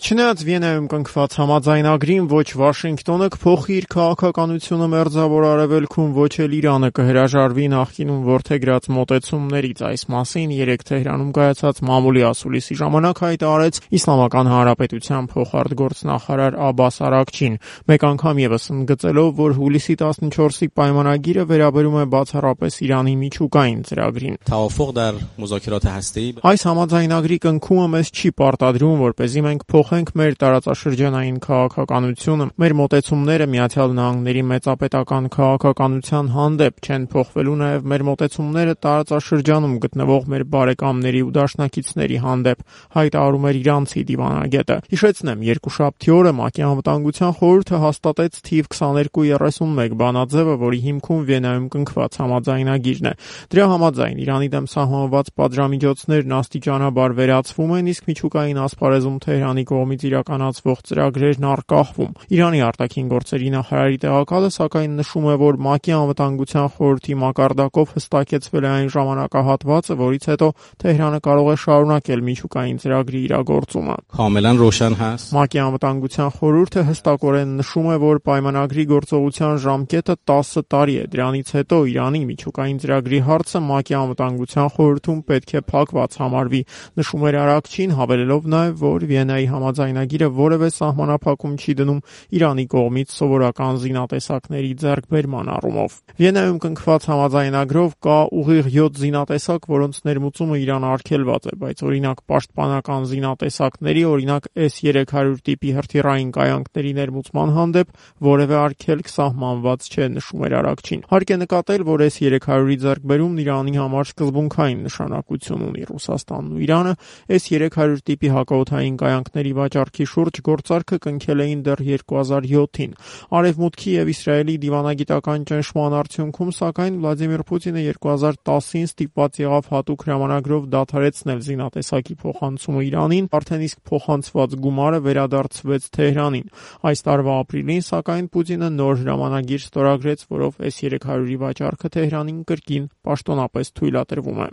Չնայած Վիեննայում կնքված համաձայնագրին ոչ Վաշինգտոնը կփոխի իր քաղաքականությունը մերձավոր արևելքում, ոչ էլ Իրանը կհրաժարվի նախկինում որդեգրած մոտեցումներից, այս մասին երեկ Թեհրանում կայացած մամուլի ասուլիսի ժամանակ հայտարարեց Իսլամական Հանրապետության փոխարտգործնախարար Աբբաս Արաքչին, մեկ անգամ ևս ընդգծելով, որ հուլիսի 14-ի պայմանագիրը վերաբերում է բացառապես Իրանի միջուկային ծրագրին։ Այս համաձայնագրի կնքումը մեզ չի պարտադրում, որպեսզի մենք փոխենք մեր տարածաշրջանային քաղաքականությունը, մեր մոտեցումները Միացյալ Նահանգների մեծապետական քաղաքականության հանդեպ, չեն փոխվելու նաև մեր մոտեցումները տարածաշրջանում գտնվող մեր բարեկամների ու դաշնակիցների հանդեպ, հայտարարում էր իրանցի դիվանագետը։ Հիշեցնեմ, երկուշաբթի օրը ՄԱԿ-ի Անվտանգության խորհուրդը հաստատեց թիվ 2231 բանաձևը, որի հիմքում Վիեննայում կնքված համաձայնագիրն է։ Դրա համաձայն Իրանի դեմ սահմանված պատժամիջոցներն աստիճանաբար վերացվում են, իսկ միջուկային ասպարեզում Թեհրանի կողմից իրականացվող ծրագրերն առկախվում։ Իրանի արտաքին գործերի նախարարի տեղակալը սակայն նշում է, որ ՄԱԿ-ի Անվտանգության խորհրդի մակարդակով հստակեցվել է այն ժամանակահատվածը, որից հետո Թեհրանը կարող է շարունակել միջուկային ծրագրի իրագործումը։ ՄԱԿ-ի Անվտանգության խորհուրդը հստակորեն նշում է, որ պայմանագրի գործողության ժամկետը 10 տարի է։ Դրանից հետո Իրանի միջուկային ծրագրի հարցը ՄԱԿ-ի Անվտանգության խորհրդում պետք է փակված համարվի, նշում էր Արաքչին, հավելելով նաև, որ Վիեննայի համաձայնագիրը որևէ սահմանափակում չի դնում Իրանի կողմից սովորական զինատեսակների ձեռքբերման առումով։ Վիեննայում կնքված համաձայնագրով կա ուղիղ 7 զինատեսակ, որոնց ներմուծումը Իրանը արգելված է, բայց օրինակ պաշտպանական զինատեսակների, օրինակ S-300 տիպի հրթիռային կայանքների ներմուծման հանդեպ որևէ արգելք սահմանված չէ, նշում էր Արաքչին։ Հարկ է նկատել, որ S-300-ի ձեռքբերումն Իրանի համար սկզբունքային նշանակություն ունի։ Ռուսաստանն ու Իրանը S-300 տիպի հակաօդային կայանքների վաճառքի շուրջ գործարքը կնքել էին դեռ 2007-ին։ Արևմուտքի եւ Իսրայելի դիվանագիտական ճնշման արդյունքում, սակայն Վլադիմիր Պուտինը 2010-ին ստիպված եղավ հատուկ հրամանագրով դադարեցնել զինատեսակի փոխանցումը Իրանին, արդեն իսկ փոխանցված գումարը վերադարձվեց Թեհրանին։ Այս տարվա ապրիլին, սակայն Պուտինը նոր հրամանագիր ստորագրեց, որով S-300-ի վաճառքը Թեհրանին կրկին պաշտոնապես թույլատրվում է։